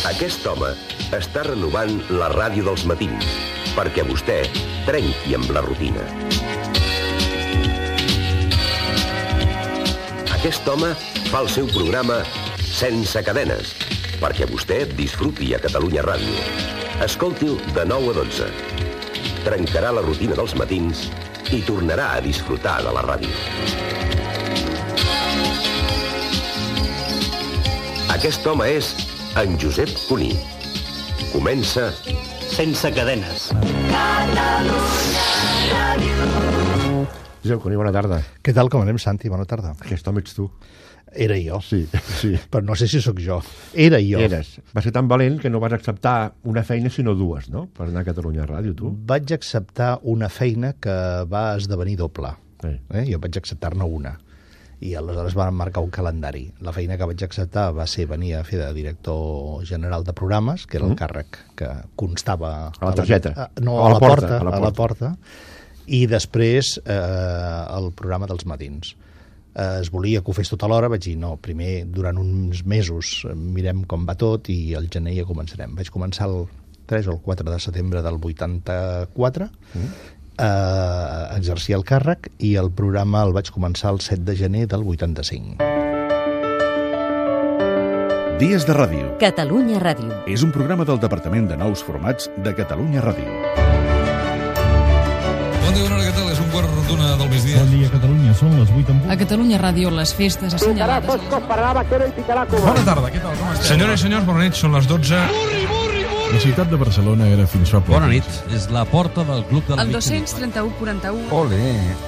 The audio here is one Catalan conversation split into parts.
Aquest home està renovant la ràdio dels matins perquè vostè trenqui amb la rutina. Aquest home fa el seu programa sense cadenes perquè vostè disfruti a Catalunya Ràdio. Escolti'l de 9 a 12. Trencarà la rutina dels matins i tornarà a disfrutar de la ràdio. Aquest home és en Josep Cuní. Comença Sense cadenes. Josep Cuní, bona tarda. Què tal, com anem, Santi? Bona tarda. Aquest home ets tu. Era jo. Sí. Però no sé si sóc jo. Era jo. Eres. Va ser tan valent que no vas acceptar una feina sinó dues, no? Per anar a Catalunya Ràdio, tu. Vaig acceptar una feina que va esdevenir doble. Jo vaig acceptar-ne una. I aleshores van marcar un calendari. La feina que vaig acceptar va ser venir a fer de director general de programes, que era el càrrec que constava... A la targeta? No, a la porta. I després el programa dels matins. Es volia que ho fes tota l'hora, vaig dir, no, primer, durant uns mesos, mirem com va tot i al gener ja començarem. Vaig començar el 3 o el 4 de setembre del 84, exercia el càrrec i el programa el vaig començar el 7 de gener del 85. Dies de Ràdio. Catalunya Ràdio. És un programa del Departament de Nous Formats de Catalunya Ràdio. Bon dia, bona hora, què tal? És un quart d'una del migdia. Bon dia, Catalunya. Són les 8 en punt. A Catalunya Ràdio, les festes assenyalades... Bona tarda, què tal? Com esteu? Senyores i senyors, bona nit, són les 12. La ciutat de Barcelona era fins fa poc. Bona nit, és la porta del Club de la El 231-41. Ole,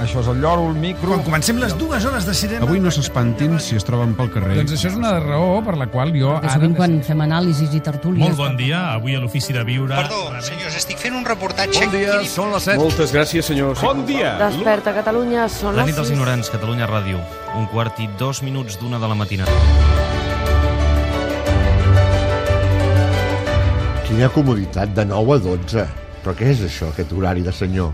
això és el lloro, el micro... Quan comencem les 2 hores de cinema... Avui no s'espantin si es troben pel carrer. Doncs això és una raó per la qual jo... Sovint quan fem anàlisis i tertúlies... Molt bon dia, avui a l'Ofici de Viure... Perdó, senyors, estic fent un reportatge... Bon dia, són les 7. Moltes gràcies, senyors. Bon dia! Desperta, Catalunya, són La les nit dels 6. ignorants, Catalunya Ràdio. 1:15 de la matinada. Quina comoditat, de 9 a 12. Però què és això, aquest horari de senyor?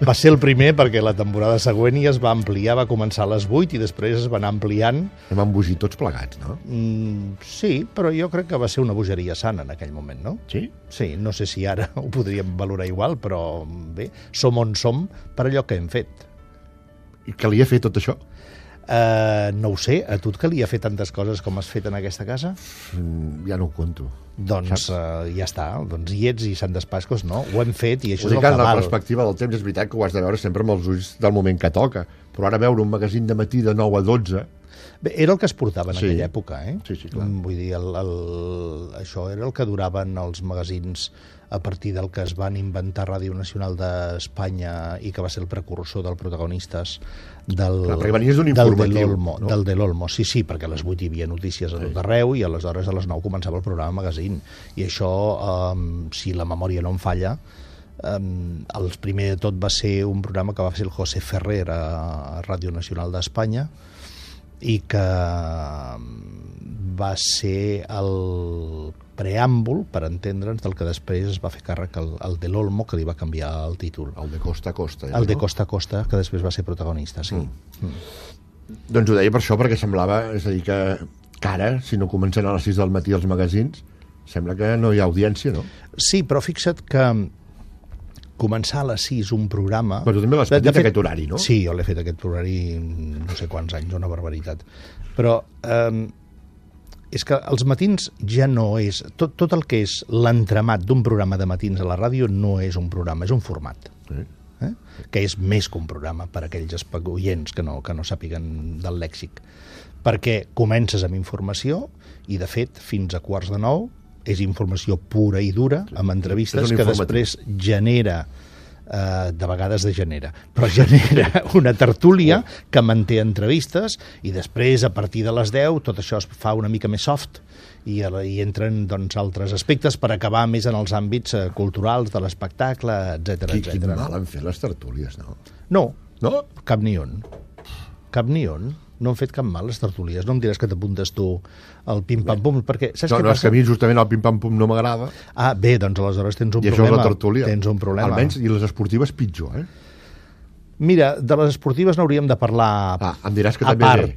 Va ser el primer perquè la temporada següent ja es va ampliar, va començar a les 8 i després es va anar ampliant. Hem embogit tots plegats, no? Sí, però jo crec que va ser una bogeria sana en aquell moment, no? Sí? Sí, no sé si ara ho podríem valorar igual, però bé, som on som per allò que hem fet. I calia fer tot això? No ho sé, a tu et calia fer tantes coses com has fet en aquesta casa? Ja no ho conto. Doncs ja està, doncs hi ets i Sant Despascos, no? Ho hem fet i això és el que que en la val. perspectiva del temps és veritat que ho has de veure sempre amb els ulls del moment que toca, però ara veure un magazín de matí de 9 a 12... Bé, era el que es portava en aquella època, eh? Sí, clar. Vull dir, això era el que duraven els magazins a partir del que es van inventar Ràdio Nacional d'Espanya i que va ser el precursor del Protagonistes del de l'Olmo. Sí, perquè a les 8 hi havia notícies a tot arreu i aleshores a les 9 començava el programa magazín. I això, si la memòria no em falla, el primer de tot va ser un programa que va fer el José Ferrer a Ràdio Nacional d'Espanya i que va ser el preàmbul, per entendre'ns, del que després es va fer càrrec el de l'Olmo, que li va canviar el títol. El de Costa a Costa. El de Costa a Costa, que després va ser protagonista, sí. Doncs ho deia per això, perquè semblava, és a dir, que ara, si no comencen a les 6 del matí els magazins, sembla que no hi ha audiència, no? Sí, però fixa't que començar a les 6 un programa... Però tu també l'has fet aquest horari, no? Sí, jo l'he fet aquest horari no sé quants anys, una barbaritat. Però és que els matins ja no és... Tot el que és l'entramat d'un programa de matins a la ràdio no és un programa, és un format. Que és més que un programa per a aquells oients que no sàpiguen del lèxic. Perquè comences amb informació i, de fet, fins a 8:45 és informació pura i dura, amb entrevistes que després genera, de vegades degenera, però genera una tertúlia que manté entrevistes i després, a partir de les 10, tot això es fa una mica més soft i entren altres aspectes per acabar més en els àmbits culturals de l'espectacle, etc. Quin mal han fet les tertúlies, no? No, cap ni un. No han fet cap mal les tertúlies. No em diràs que t'apuntes tu al pim-pam-pum, perquè saps què passa? No, és que a mi justament el pim-pam-pum no m'agrada. Bé, doncs aleshores tens un problema. I això és la tertúlia. Tens un problema. Almenys, i les esportives pitjor, Mira, de les esportives n'hauríem de parlar em diràs que a també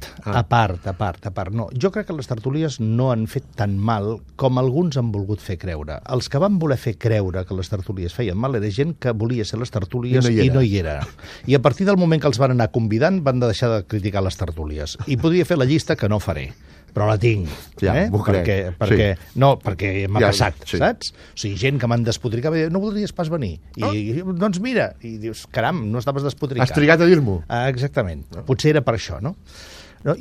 part. No, jo crec que les tertúlies no han fet tan mal com alguns han volgut fer creure. Els que van voler fer creure que les tertúlies feien mal era gent que volia ser les tertúlies i no hi era. I a partir del moment que els van anar convidant van deixar de criticar les tertúlies. I podria fer la llista que no faré, però la tinc, perquè m'ha passat, saps? O sigui, gent que m'han despotricat, no voldries pas venir. I doncs mira, i dius, caram, no estaves despotricat. Has trigat a dir-m'ho. Exactament. Potser era per això, no?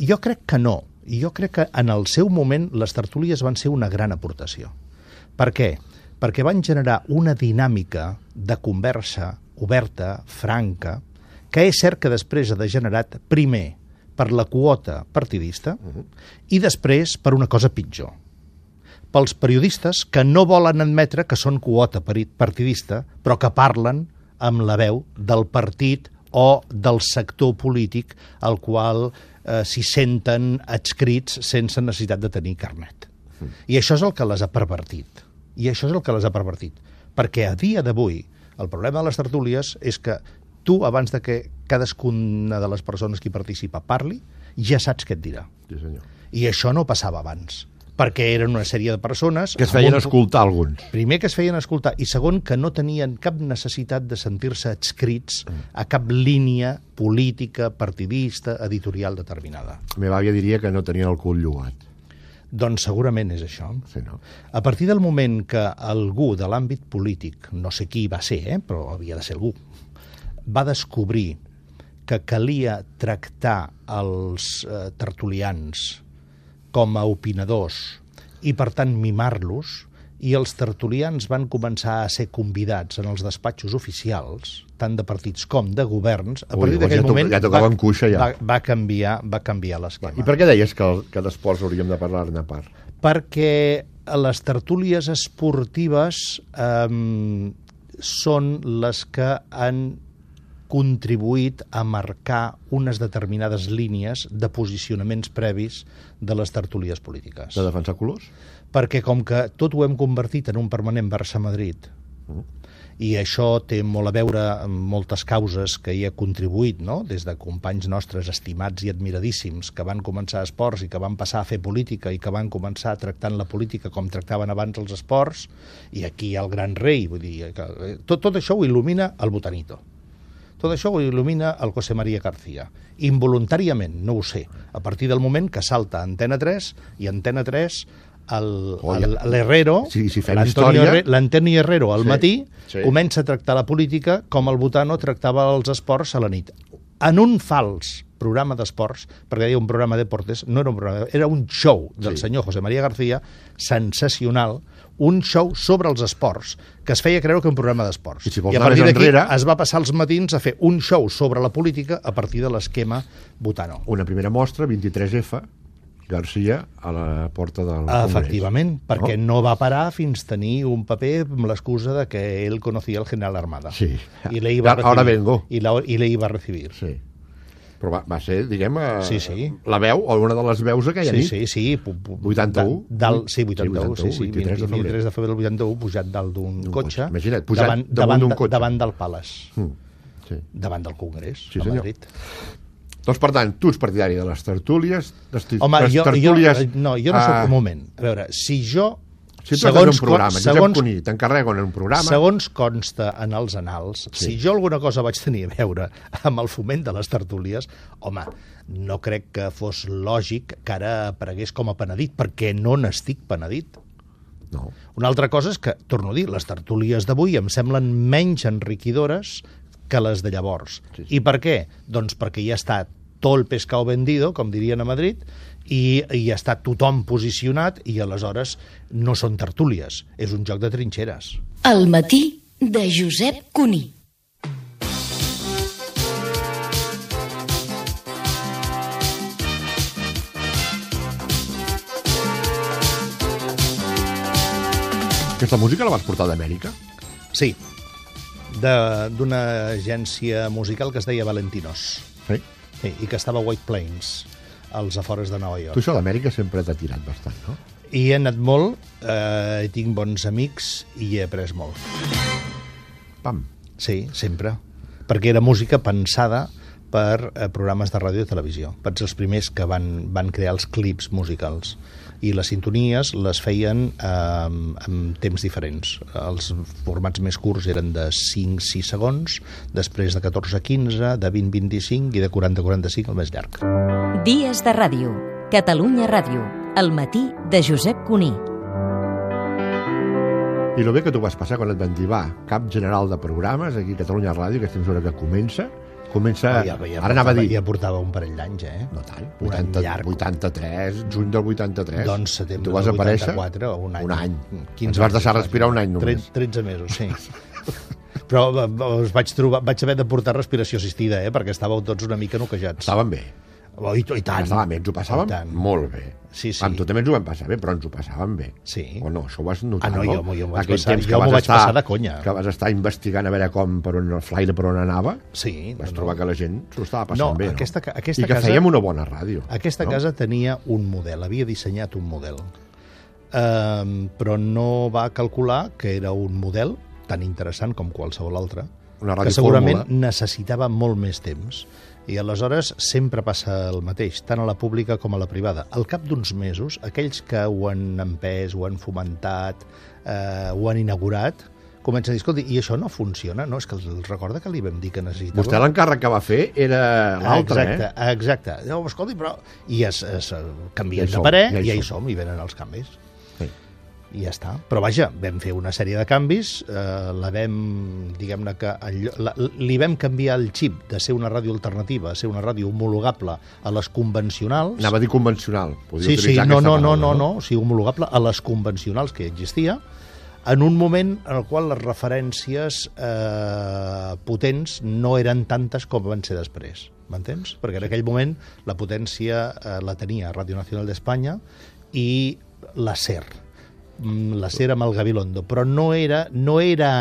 Jo crec que no. Jo crec que en el seu moment les tertúlies van ser una gran aportació. Per què? Perquè van generar una dinàmica de conversa oberta, franca, que és cert que després ha degenerat, primer, per la quota partidista i després per una cosa pitjor. Pels periodistes que no volen admetre que són quota partidista, però que parlen amb la veu del partit o del sector polític al qual s'hi senten adscrits sense necessitat de tenir carnet. I això és el que les ha pervertit. Perquè a dia d'avui el problema de les tertúlies és que tu, abans de que cadascuna de les persones que hi participa parli, ja saps què et dirà. Sí, senyor. I això no passava abans, perquè eren una sèrie de persones... Que es feien escoltar alguns. Primer, que es feien escoltar, i segon, que no tenien cap necessitat de sentir-se adscrits a cap línia política, partidista, editorial determinada. La meva àvia diria que no tenien el cul llogat. Doncs segurament és això. Sí, no? A partir del moment que algú de l'àmbit polític, no sé qui va ser, però havia de ser algú, va descobrir que calia tractar els tertulians com a opinadors i, per tant, mimar-los, i els tertulians van començar a ser convidats en els despatxos oficials, tant de partits com de governs, a partir d'aquell moment va canviar l'esquema. I per què deies que d'esports hauríem de parlar-ne a part? Perquè les tertúlies esportives són les que han contribuït a marcar unes determinades línies de posicionaments previs de les tertúlies polítiques. De defensar colors? Perquè com que tot ho hem convertit en un permanent Barça-Madrid, i això té molt a veure amb moltes causes que hi ha contribuït, no? Des de companys nostres estimats i admiradíssims que van començar a esports i que van passar a fer política i que van començar tractant la política com tractaven abans els esports, i aquí hi ha el gran rei, vull dir, tot això ho il·lumina el Botanito. Tot això ho il·lumina el José María García. Involuntàriament, no ho sé. A partir del moment que salta Antena 3 i Antena 3 l'Herrero, l'Antonio Herrero al matí, comença a tractar la política com el Botano tractava els esports a la nit. En un fals programa d'esports, perquè deia un programa de deportes, no era un programa, era un show del senyor José María García, sensacional, un show sobre els esports, que es feia creure que un programa d'esports. I a partir d'aquí es va passar els matins a fer un show sobre la política a partir de l'esquema Botano. Una primera mostra, 23F, García a la porta del Congrés. Efectivament, perquè no va parar fins tenir un paper amb l'excusa de que ell conocía al general Armada. Sí, ahora vengo. I le iba a recibir. Sí. Però va ser, diguem, la veu, o una de les veus aquella nit. Sí. 81? Sí, 81, sí. 23 de febrer del 81, pujat dalt d'un cotxe. Imagina't, pujat damunt d'un cotxe. Davant del Palace. Davant del Congrés, a Madrid. Doncs, per tant, tu ets partidari de les tertúlies... Home, jo no soc... Un moment. A veure, si jo... Si tu has un programa, Josep Cuní, t'encarrego en un programa... Segons consta en els anals, si jo alguna cosa vaig tenir a veure amb el foment de les tertúlies, home, no crec que fos lògic que ara aparegués com a penedit, perquè no n'estic penedit. No. Una altra cosa és que, torno a dir, les tertúlies d'avui em semblen menys enriquidores que les de llavors. I per què? Doncs perquè ja està tot el pescado vendido, com dirien a Madrid, i està tothom posicionat i aleshores no són tertúlies, és un joc de trinxeres. El matí de Josep Cuní. Aquesta música la vas portar d'Amèrica? Sí, d'una agència musical que es deia Valentinos. Sí? Sí, i que estava a White Plains, als afores de Nova York. Tu això d'Amèrica sempre t'ha tirat bastant, no? I he anat molt, tinc bons amics i he après molt. Pam. Sí, sempre. perquè era música pensada per programes de ràdio i televisió. Van ser els primers que van crear els clips musicals. I les sintonies les feien en temps diferents. Els formats més curts eren de 5-6 segons, després de 14-15, de 20-25 i de 40-45 el més llarg. Dies de ràdio. Catalunya Ràdio. El matí de Josep Cuní. I el bé que tu vas passar quan et van dir, va, cap general de programes aquí a Catalunya Ràdio, aquesta emissora que comença, ara anava a dir... Ja portava un parell d'anys, No tant, 83, juny del 83. Doncs setembre tu vas del aparèixer 84, un any. Ens vas deixar respirar un any només. 13 mesos, sí. Però us vaig haver de portar respiració assistida, perquè estàveu tots una mica noquejats. Estàvem bé. I tant. Ens ho passàvem molt bé. Sí. Amb tu també ens ho vam passar bé, però ens ho passàvem bé. Sí. O no, això ho vas notar, no? Jo m'ho vaig passar de conya. Que vas estar investigant a veure per on el flaire per on anava. Sí. Vas trobar que la gent s'ho estava passant bé, aquesta I que fèiem una bona ràdio. Aquesta casa tenia un model, havia dissenyat un model. Però no va calcular que era un model tan interessant com qualsevol altre, que segurament necessitava molt més temps. I aleshores sempre passa el mateix, tant a la pública com a la privada. Al cap d'uns mesos, aquells que ho han empès, ho han fomentat, ho han inaugurat, comencen a dir, escolta, i això no funciona, no? És que els recorda que li vam dir que necessitava... Vostè l'encàrrec que va fer era l'altre, Exacte. No, escolta, però... I es canvien de parer, i ja hi som, i venen els canvis. I ja està. Però vaja, vam fer una sèrie de canvis, li vam canviar el xip de ser una ràdio alternativa a ser una ràdio homologable a les convencionals. Anava a dir convencional. Sí, no, o sigui, homologable a les convencionals que existia, en un moment en el qual les referències potents no eren tantes com van ser després. M'entens? Perquè en aquell moment la potència la tenia Ràdio Nacional d'Espanya i la SER. La SER amb el Gabilondo, però no era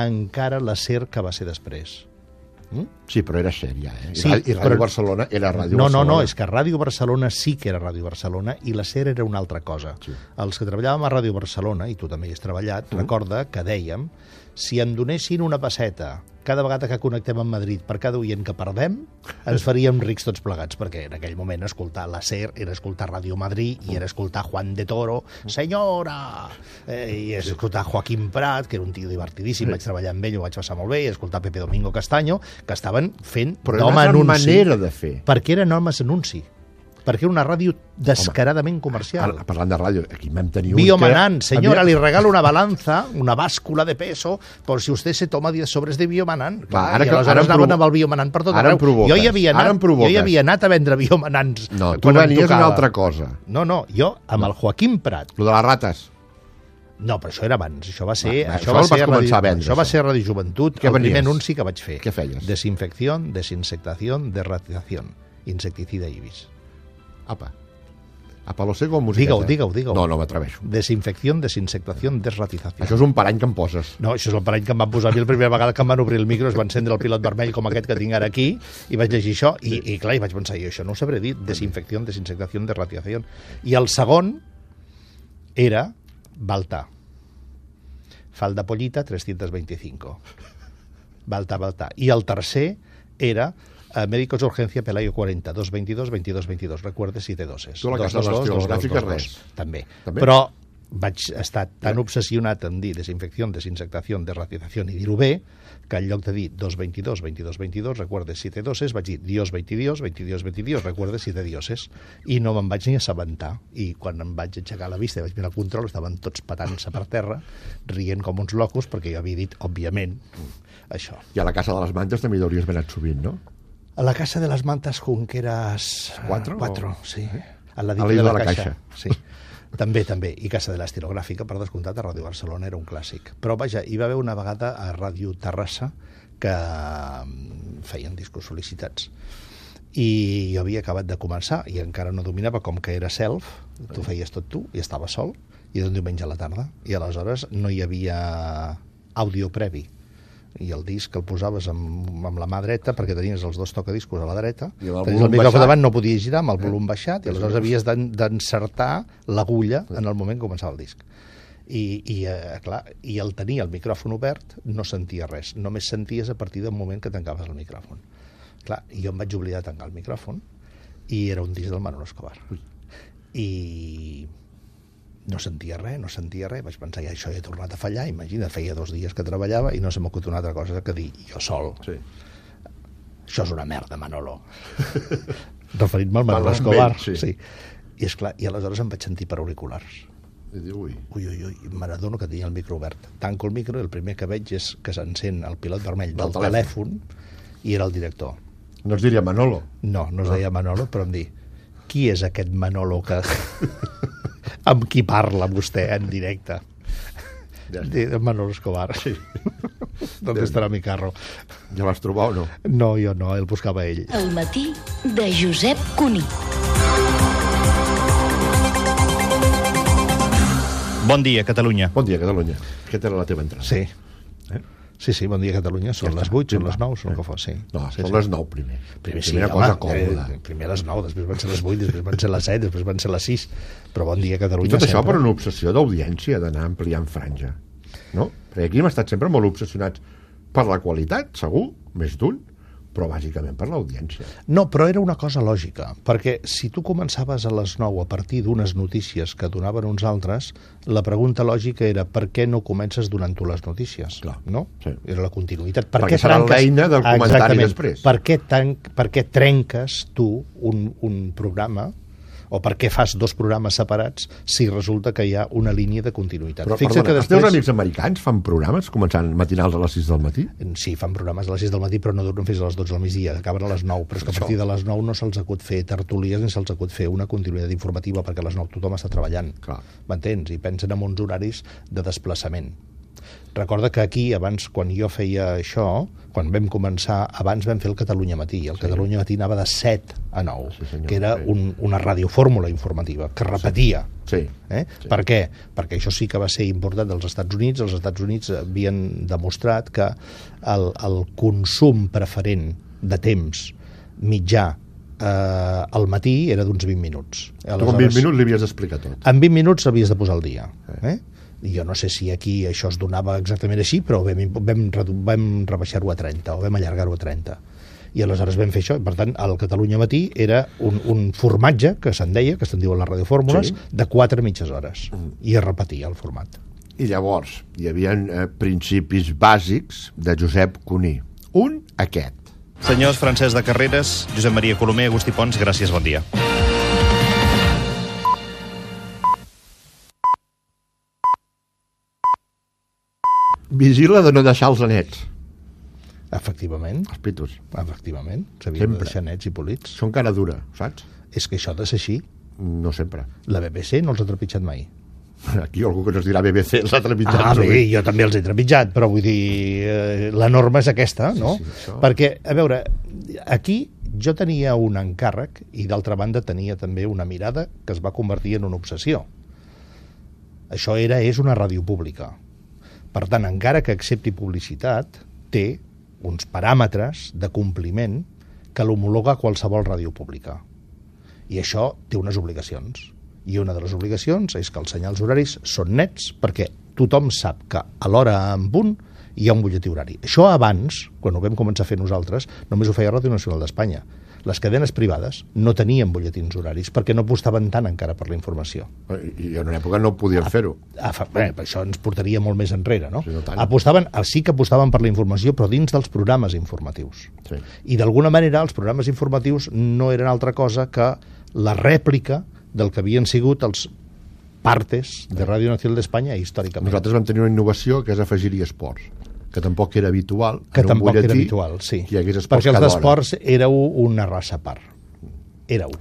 encara la SER que va ser després. Sí, però era SER ja, Sí, I Ràdio Barcelona era Ràdio Barcelona. No, és que Ràdio Barcelona sí que era Ràdio Barcelona i la SER era una altra cosa. Sí. Els que treballàvem a Ràdio Barcelona, i tu també hi has treballat, recorda que dèiem, si em donessin una pesseta cada vegada que connectem amb Madrid per cada oient que perdem, ens faríem rics tots plegats, perquè en aquell moment escoltar la SER era escoltar Ràdio Madrid i era escoltar Juan de Toro, senyora, i escoltar Joaquim Prat, que era un tio divertidíssim, vaig treballar amb ell, ho vaig passar molt bé, i escoltar Pepe Domingo Castaño, que estaven fent d'home anunci. Però era una manera de fer. Perquè eren homes anunci. Perquè era una ràdio descaradament comercial. Parlant de ràdio, aquí vam tenir Biomanant, senyora, li regalo una balanza, una bàscula de peso, por si usted se toma 10 sobres de Biomanant. I aleshores anaven amb el Biomanant per tot arreu. Jo hi havia anat a vendre Biomanants. No, tu venies una altra cosa. No, jo amb el Joaquim Prat. Lo de les rates. No, però això era abans. Això va ser Ràdio Joventut, el primer anunci que vaig fer. Què feies? Desinfecció, desinsectació, derratizació, insecticida ibis. Apa, a palo seco o musiqueta? Digue-ho. No m'atreveixo. Desinfecció, desinsectació, desratizació. Això és un parany que em poses. No, això és el parany que em van posar a mi la primera vegada que em van obrir el micro, es va encendre el pilot vermell com aquest que tinc ara aquí, i vaig llegir això, i clar, i vaig pensar, jo això no ho sabré dir, desinfecció, desinsectació, desratizació. I el segon era Baltà. Falda pollita, 325. Baltà. I el tercer era... Médicos de urgencia Pelayo 40, 222-22-22. Recuerde si té doses. Tu a la casa de les estilogràfiques res. També. Però vaig estar tan obsessionat en dir desinfecció, desinsectació, desratizació i dir-ho bé, que en lloc de dir 222-22-22, recuerde si té doses, vaig dir Dios 22-22-22, recuerde si té dioses. I no me'n vaig ni assabentar. I quan em vaig aixecar la vista i vaig mirar el control, estaven tots patant-se per terra, rient com uns locos, perquè jo havia dit, òbviament, això. I a la Casa de les Mantes també hi hauries anat sovint, no? A la Casa de las Mantas Junqueras... 4, sí. A la de la Caixa. Sí. També. I Casa de l'Estilogràfica, per descomptat, a Ràdio Barcelona era un clàssic. Però vaja, hi va haver una vegada a Ràdio Terrassa que feien discos sol·licitats. I jo havia acabat de començar i encara no dominava, com que era self, tu feies tot tu i estava sol, i era un diumenge a la tarda. I aleshores no hi havia àudio previ. I el disc el posaves amb la mà dreta perquè tenies els dos tocadiscos a la dreta, tenies el micròfon davant, no podies girar amb el volum baixat, i aleshores havies d'encertar l'agulla en el moment que començava el disc. clar, i al tenir el micròfon obert no sentia res, només senties a partir del moment que tancaves el micròfon. Clar, i jo em vaig oblidar de tancar el micròfon i era un disc del Manolo Escobar. I no sentia res, vaig pensar, ja això he tornat a fallar, imagina, feia 2 dies que treballava i no se m'acut una altra cosa que dir jo sol. Sí. Això és una merda, Manolo. Referint-me al Manolo Escobar. Sí. I esclar, i aleshores em vaig sentir per auriculars. I diu, ui, m'adono que tenia el micro obert. Tanco el micro i el primer que veig és que s'encén el pilot vermell del telèfon i era el director. No es diria Manolo? No es deia Manolo, però em diu, qui és aquest Manolo que... amb qui parla vostè en directe? Manolo Escobar. Sí. ¿Dónde estarà mi carro? Ja vas trobar o no? No, jo no, el buscava ell. El matí de Josep Cuní. Bon dia, Catalunya. Bon dia, Catalunya. Aquesta era la teva entrada. Sí. Sí, bon dia, Catalunya. Són les 8, són les 9, són el que fos, sí. No, són les 9 primer. Primera cosa còmoda. Primer les 9, després van ser les 8, després van ser les 7, després van ser les 6. Però bon dia, Catalunya. I tot això per una obsessió d'audiència, d'anar ampliant franja. No? Perquè aquí hem estat sempre molt obsessionats per la qualitat, segur, més d'un, però bàsicament per l'audiència. No, però era una cosa lògica, perquè si tu començaves a les 9 a partir d'unes notícies que donaven uns altres, la pregunta lògica era per què no comences donant tu les notícies? Clar, no? Sí. Era la continuïtat. Perquè serà l'eina del comentari després. Per què trenques tu un programa o per què fas 2 programes separats si resulta que hi ha una línia de continuïtat? Però, perdona, els teus amics americans fan programes començant matinals a les 6 del matí? Sí, fan programes a les 6 del matí, però no duren fins a les 12 del migdia, acaben a les 9, però és que a partir de les 9 no se'ls acut fer tertulies ni se'ls acut fer una continuïtat informativa, perquè a les 9 tothom està treballant. M'entens? I pensen en uns horaris de desplaçament. Recorda que aquí, abans, quan jo feia això, quan vam començar, abans vam fer el Catalunya Matí. El Catalunya Matí anava de 7 a 9, que era una radiofórmula informativa, que repetia. Per què? Perquè això sí que va ser important dels Estats Units. Els Estats Units havien demostrat que el consum preferent de temps mitjà al matí era d'uns 20 minuts. Tu en 20 minuts li havies d'explicar tot. En 20 minuts havies de posar el dia. Jo no sé si aquí això es donava exactament així, però vam rebaixar-ho a 30, o vam allargar-ho a 30. I aleshores vam fer això, i per tant el Catalunya Matí era un formatge, que se'n deia, que se'n diuen les radiofórmules, de 4 mitges hores, i es repetia el format. I llavors hi havia principis bàsics de Josep Cuní. Un, aquest. Senyors Francesc de Carreras, Josep Maria Colomer, Agustí Pons, gràcies, bon dia. Vigila de no deixar els anets. Efectivament. Els pitos. Efectivament. S'havien de deixar nets i polits. Són cara dura, saps? És que això ha de ser així. No sempre. La BBC no els ha trepitjat mai. Aquí algú que no es dirà BBC els ha trepitjat. Bé, jo també els he trepitjat, però vull dir, la norma és aquesta, no? Sí, perquè, a veure, aquí jo tenia un encàrrec i d'altra banda tenia també una mirada que es va convertir en una obsessió. Això és una ràdio pública. Per tant, encara que accepti publicitat, té uns paràmetres de compliment que l'homologa qualsevol ràdio pública. I això té unes obligacions. I una de les obligacions és que els senyals horaris són nets perquè tothom sap que a l'hora en punt hi ha un butlletí horari. Això abans, quan ho vam començar a fer nosaltres, només ho feia Ràdio Nacional d'Espanya. Les cadenes privades no tenien butlletins horaris perquè no apostaven tant encara per la informació. I en una època no podien fer-ho. Això ens portaria molt més enrere, no? Sí que apostaven per la informació, però dins dels programes informatius. I d'alguna manera els programes informatius no eren altra cosa que la rèplica del que havien sigut els partes de Ràdio Nacional d'Espanya històricament. Nosaltres vam tenir una innovació que és afegir-hi esports, que tampoc era habitual. Que tampoc era habitual, sí. Perquè els d'esports éreu una raça a part. Éreu.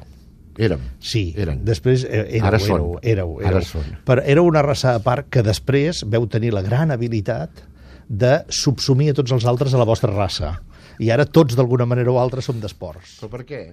Érem. Sí, eren. Després éreu. Ara són. Però éreu una raça a part que després veu tenir la gran habilitat de subsumir a tots els altres a la vostra raça. I ara tots, d'alguna manera o altra, som d'esports. Però per què?